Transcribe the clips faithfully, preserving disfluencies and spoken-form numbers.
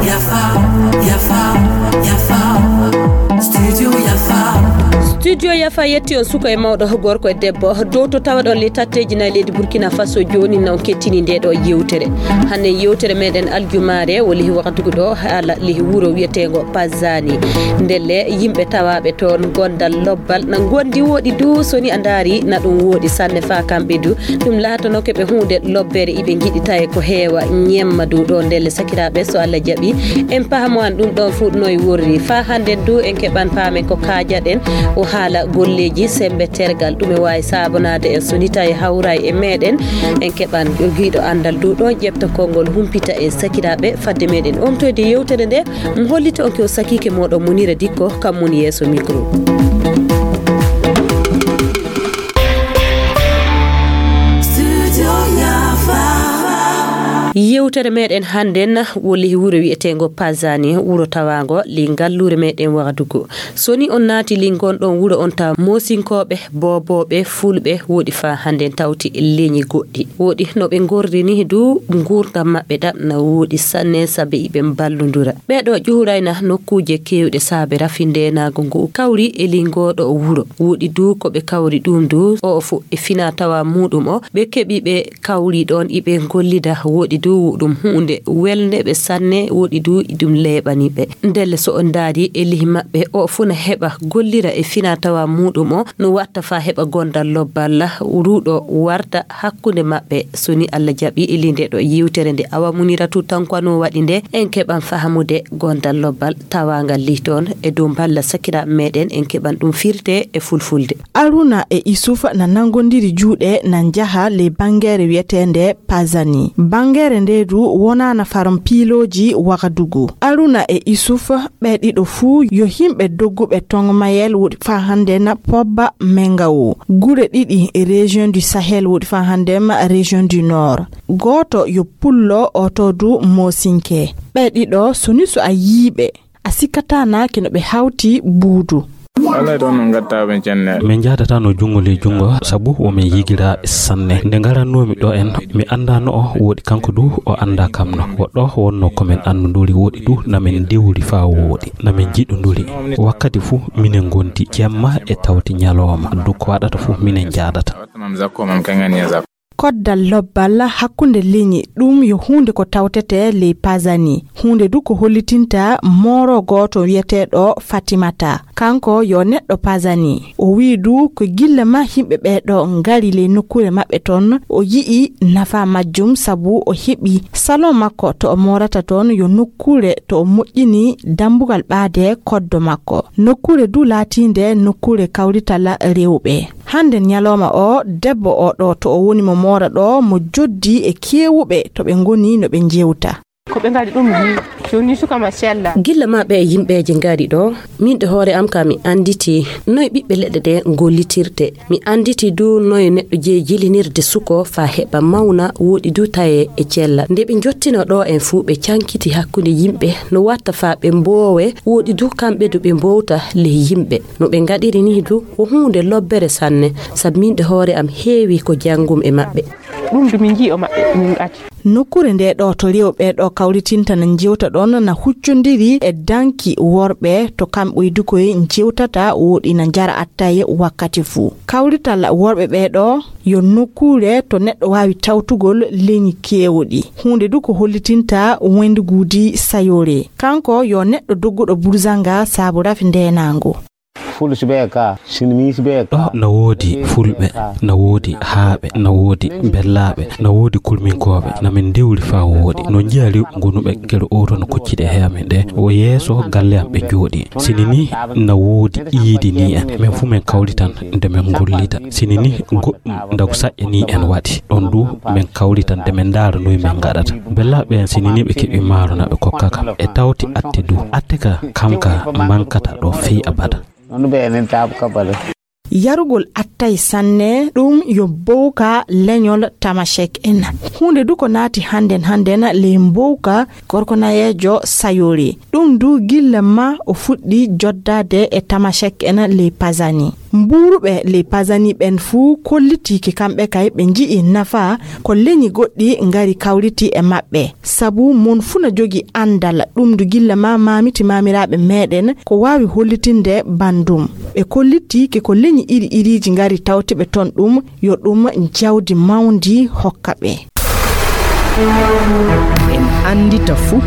Yafa, yafa, yafa. Studio yafa. Studio yafa yetti on suka e mawɗo, gorko e debbo, dow to tawaɗon ley tatteeji nayi leydi Burkina Faso. Jooni non kettini nde ɗo yewtere. Hannde yewtere meɗen aljumaare woni wakatugu ɗo haala ley wuro wiyeteengo Pazani. Ndelle yimɓe tawaaɓe toon gondal lobbal na gondi woɗi du, so ni a ndaari na ɗum woɗi sanne faa kamɓe du. Ɗum laatanooke ɓe huunde lobbere, iɓe ngiɗi taye ko heewa ñemma du ɗo. Ndelle sakiraaɓe, so Allah jaɓi, en pahamowan ɗum ɗon fuu noy worri. Faa hannden du en keɓan paamen ko kaajaɗen o haala golleeji semmbe tergal, ɗum e waawi saabonaade en so ni taye hawray e meɗen. En keɓan giiɗo anndal du ɗon ƴefta konngol humpita en sakiraaɓe fadde meɗen omtoyde yewtere nde. Mi hollita on ko sakiike mooɗon Munira Dikko, kam woni yeeso micro. Yewtere meɗen hannden woni wuro wiyeteengo Pazani, wuro tawaango ley ngalluure meɗen Wagadugu. So ni on naati ley ngon ɗon wuro on tawa Moosinkooɓe, Boobooɓe, Fulɓe woɗi faa hannden tawti leñi goɗɗi. Woɗi no ɓe ngorri ni du nguurndam maɓɓe ɗam na woɗi sanne sabe iɓe mballondura. Ɓee ɗo ƴuurayna nokkuuje keewɗe saabe rafi ndeenaagu ngu kawri e ley ngoo ɗo wuro. Woɗi du ko ɓe kawri ɗum du o fof e fina tawa muuɗum o ɓe keɓi ɓe kawri ɗoon iɓe ngollida. Woɗi du ɗum huunde welnde ɓe sanne, woɗi du ɗum leeɓani ɓe. Ndelle so on ndaari e lihi maɓɓe o fof na heɓa gollira e fina tawa muuɗum o no watta faa heɓa gondal lobbal ruuɗo warta hakkunde maɓɓe. So ni Allah jaɓi e ley nde ɗo yewtere nde Awa Muniratu Tankwano waɗi nde, en keɓan fahamude gondal lobbal tawaangal ley toon e dow mballa sakiraaɓe meɗen, en keɓan ɗum firte e fulfulde. Aruna e Isufa na nanngondiri juuɗe na njaha ley banngeere wiyeteende Pazani. Banngeere nde du wonaana faron piilooji Wagadugu. Aruna e Isufa ɓe ɗiɗo fuu yo himɓe dogguɓe Tongomayel woɗi faa hannde na Pobba Mengawo. Gure ɗiɗi e région du Sahel woɗi faa hannde ma région du Nord. Gooto yo pullo, oto du moosinke. Ɓe ɗiɗo so ni so a yiiɓe, a sikkataa na kino ɓe hawti buudu. Wallay ɗon no ngattaɓe cenne. Min njahdataa no junngo ley junngo, sabu wo min yigiraaɓe sanne. Nde ngarannoomi ɗo en, mi anndaano o woɗi, kanko du o anndaa kam no. Wo ɗo wonnoo ko min anndonduri woɗi du, na min ndewri faa wooɗi, na min njiɗonduri. Wakkati fuu minen ngondi jemma e tawti ñalooma. Du ko waɗata fuu minen njahdata. Koddal lobbal hakkunde leñi, ɗum yo huunde ko tawtetee ley Pazani. Huunde du ko hollitinta mooro gooto wiyeteeɗo Fatimata. Kanko yo neɗɗo Pazani. O wi'i du ko gilla ma yimɓe ɓee ɗo ngari ley nokkuure maɓɓe ton, o yi'i nafa majjum sabu o heɓi salon makko to o moorata ton yo nokkuure to o moƴƴini dambugal ɓaade koddo makko. Nokkuure du laatiinde nokkuure kawrital rewɓe. Hannde ñalooma o, debbo o ɗo to o woni mo moora ɗo, mo joddi e keewuɓe to ɓe ngoni no ɓe njewta. Ko ɓe ngari ɗum ni, jooni suka ma sella. Gilla ma ɓe yimɓeeje ngari ɗo, min ɗe hoore am ka mi annditi noy ɓiɓɓe leɗɗe ɗe gollitirte. Mi annditi du noy neɗɗo jeyi jilinirde suko faa heɓa mawna, woɗi du taye e cella. Nde ɓe njottino ɗo en fuu ɓe cankiti hakkunde yimɓe, no watta faa ɓe mboowe, woɗi du kamɓe du ɓe mbowta ley yimɓe. No ɓe ngaɗiri ni du, ko huunde lobbere sanne, sabu min ɗe hoore am heewi ko janngum e maɓɓe. Ɗum du min njii o maɓɓe, min ngati. Nokkuure nde ɗo to rewɓe ɗo kawritinta na njewta ɗon na huccondiri e danki worɓe to kamɓe du koye njewtata woɗi na njara attaye wakkati fuu. Kawrital worɓe ɓe ɗo yo nokkuure to neɗɗo waawi tawtugol leñi keewɗi. Huunde du ko hollitinta wendiguudi sayoore. Kanko yo neɗɗo dogguɗo burzanga saabu rafi ndeenaango. Fulɓe ka, sinimiiɓe ka. Ɗo na woodi Fulɓe, na woodi Haaɓe, na woodi Bellaaɓe, na woodi Kulminkooɓe, na min ndewri faa wooɗi. No njiya rew ngonuɓe gere oto no koccide he amen ɗe. Wo yeeso galle am ɓe njooɗi. Sini ni na woodi iidi ni en. Men fuu men kawritan nde men ngollita. Sini ni goɗɗum ndagu saƴƴa ni en waɗi. Ɗon du men kawritan nde men ndaara noy men ngaɗata. Bellaaɓe en sini ni ɓe keɓi maaro na ɓe kokka kam. E tawti atte du. Atte ka kam ka mankata ɗo fey abada. Noon ɓe enen taabu kabale. Yarugol attay sanne, ɗum yo mbowka leñol Tamashek en. Huunde du ko naati hannden hannden ley mbowka gorko nayeejo Sayori. Ɗum du gilla ma o fuɗɗi joddaade e Tamashek en ley Pazani. Mbuuruɓe ley Pazani ɓen fuu kollitiike kamɓe kay ɓe nji'i nafa ko leñi goɗɗi ngari kawriti e maɓɓe. Sabu mon fuu na jogi anndal ɗum ndu gilla ma maamiti maamiraaɓe meeɗen ko waawi hollitinde banndum. Ɓe kollitiike ko leñi iri iriiji ngari tawti ɓe ton ɗum yo ɗum jawdi mawndi hokka ɓe. En anndita fuu.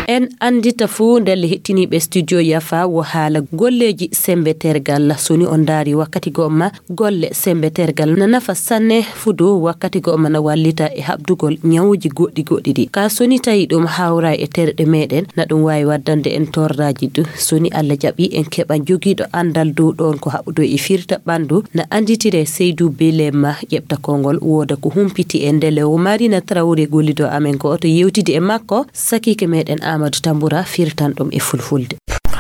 En anndita fuu ndelle hettiniiɓe studio Yafa wo haala golleeji sembe tergal. So ni on ndaari wakkati goo ma golle sembe tergal na nafa sanne fudo wakkati goo ma na wallita e haɓdugol ñawuuji goɗɗi goɗɗi ɗi. Ka so ni tawi ɗum hawra e terɗe meɗen na ɗum waawi waddande en torraaji du. So ni Allah jaɓi en keɓa jogiiɗo anndal dow ɗoon ko haɓudo e firta ɓanndu na annditire Seydou Belema ƴeɓta konngol wooda ko humpiti e ndele o Marina Traoré gollido amen ko oto yewtidi e makko sakiike meɗen Amadou Tambura firtan ɗum e fulfulde.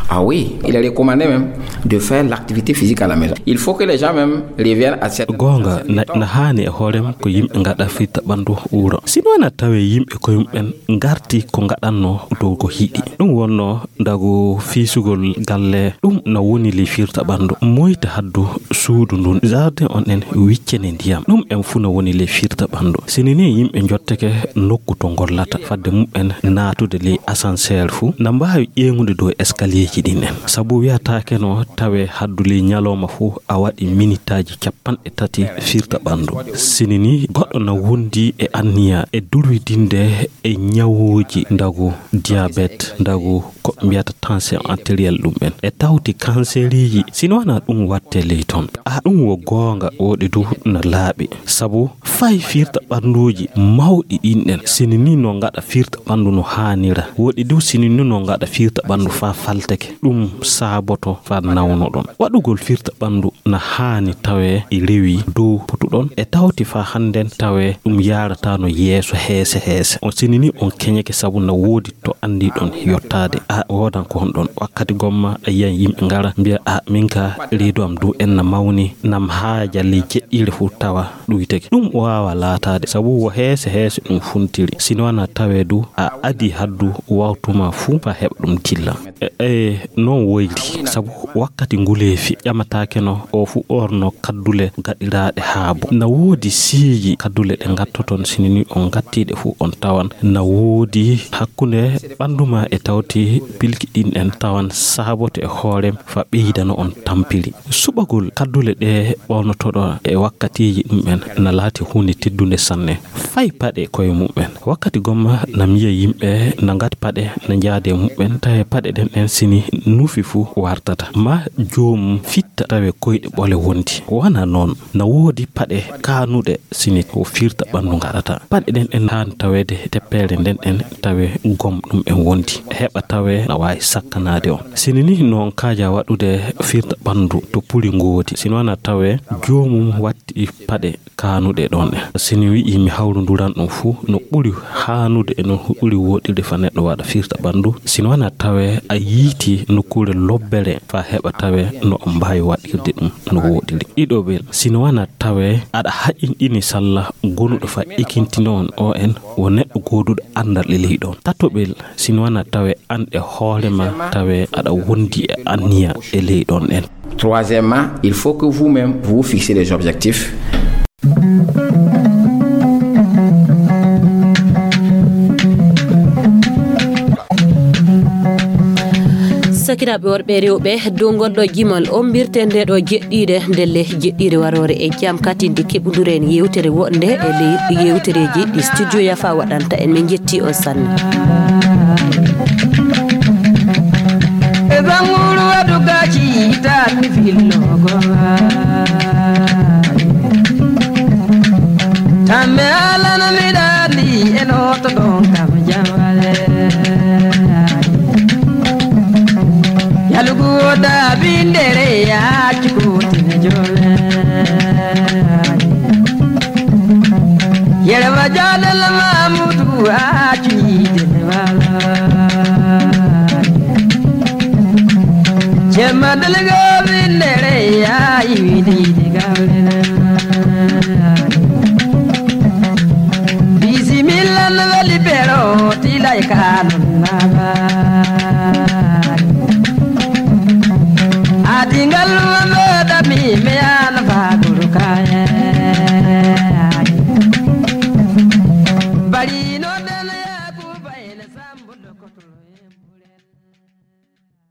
Ah oui, il est recommandé même de faire l'activité physique à la maison. Il faut que les gens même reviennent à cette... Goonga, na, na haani e hoorem ko yimɓe ngaɗa firta ɓanndu wuro. Sino wona tawe yimɓe koye mumen ngarti ko ngaɗanno dow ko hiɗi. Ɗum wonno ndagu fiisugol galle, ɗum na woni ley firta ɓanndu. Moyta haddu suudu ndun, jardin on en wiccene ndiyam. Ɗum en fuu na woni ley firta ɓanndu. Sini ni yimɓe njotteke nokku to ngollata, fadde mumen naatude ley ascenseur fuu, na mbaawi ƴeeŋude dow escalierji ɗin en. Sabu wiyataake no tawe haddu ley ñalooma fuu a waɗi minitaaji capanɗe tati firta ɓanndu. Sini ni goɗɗo na wondi e anniya e durwidinde e ñawuuji ndagu diabète, ndagu ko mbiyata tension artérielle ɗum en. E tawti kanseriiji, sino wona ɗum watte ley ton. A ɗum wo goonga, woɗi du na laaɓi. Sabu fay firta ɓannduuji mawɗi ɗin ɗen, sini ni no ngaɗa firta ɓanndu no haanira. Woɗi du sini ni no ngaɗa firta ɓanndu faa falteke. Ɗum saaboto faa nawnoɗon. Waɗugol firta ɓanndu na haani tawe e rewi dow potuɗon. E tawti faa hannden tawe ɗum yaarataano yeeso heese heese. On sini ni on keñeke sabu na woodi to anndiɗon yottaade. A woodan ko honɗon. Wakkati gomma a yiyan yimɓe ngara mbiya, "A min ka reedu am du en na mawni, nam haaja ley jeɗɗiire fuu tawa ɗuyteke." Ɗum waawa laataade sabu wo heese heese ɗum funtiri. Sino wona tawe du a adi haddu wawtuma fuu faa heɓa ɗum dilla. E, e, non woyri, sabu wakkati nguleefi ƴamataake no o fu ɓorno kaddule gaɗiraaɗe haabo. Na woodi siiji kaddule ɗe ngattoton, sini ni on ngattiiɗe fu on tawan na woodi hakkunde ɓanndu ma e tawti pilki ɗin en tawan saaboto e hoore fa ɓeydano on tampiri. Suɓagol kaddule ɗe ɓornotoɗo e wakkatiiji ɗum en na laati huunde teddunde sanne. Fay paɗe koye mumen. Wakkati gomma na miya yimɓe na ngati paɗe na njaade mumen, tawi paɗe ɗen ɗen sini nufi fuu wartata. Ma joomum fitta tawe koyɗe ɓole wondi. Wona noon, na woodi paɗe kaanuɗe sini ko firta ɓanndu ngaɗata. Paɗe ɗen ɗen haani taweede teppeere nden ɗen tawe gom ɗum en wondi. Heɓa tawe na waawi sakkanaade on. Sini ni noon kaaja waɗude firta ɓanndu to puli ngoodi. Sino wona tawe joomum watti paɗe kaanuɗe ɗon en. Sini wi'i mi hawrunduran ɗum fuu no ɓuri haanude e no ɓuri woɗirde fa neɗɗo waɗa firta ɓanndu. Sino wona tawe a yiiti nokkuure lobbere fa heɓa tawe no mbaawi waɗirde ɗum no woɗiri. Ɗiɗoɓel, sino wona tawe aɗa haƴinɗini salla gonuɗo fa ekintino on o en wo neɗɗo gooduɗo anndal e ley ɗon. Tatoɓel, sino wona tawe an e hoore ma tawe aɗa wondi e anniya e ley ɗon en. Troisièmement, il faut que vous-même vous fixez des objectifs. Sakiraaɓe worɓe e rewɓe, dow ngol ɗo jimol ombirte nde ɗo jeɗɗiire ndelle jeɗɗiire waroore e jam katinde keɓunduren yewtere woɗnde e ley yewtereeji ɗi studio Yafa waɗanta en. Min njetti on sanne. E banguru waɗu gaci tan fillogo. Tambe alana mi ɗaɗi e noto ɗon kam jawale. Yalugu wota bindere ya cukutine jole. Yerwa jadal mamudu a cuide wala. Jemma dalga bindere ya iwidi de gaulena. Bisimilla no weli pero tilay kanun naba. Goto lo,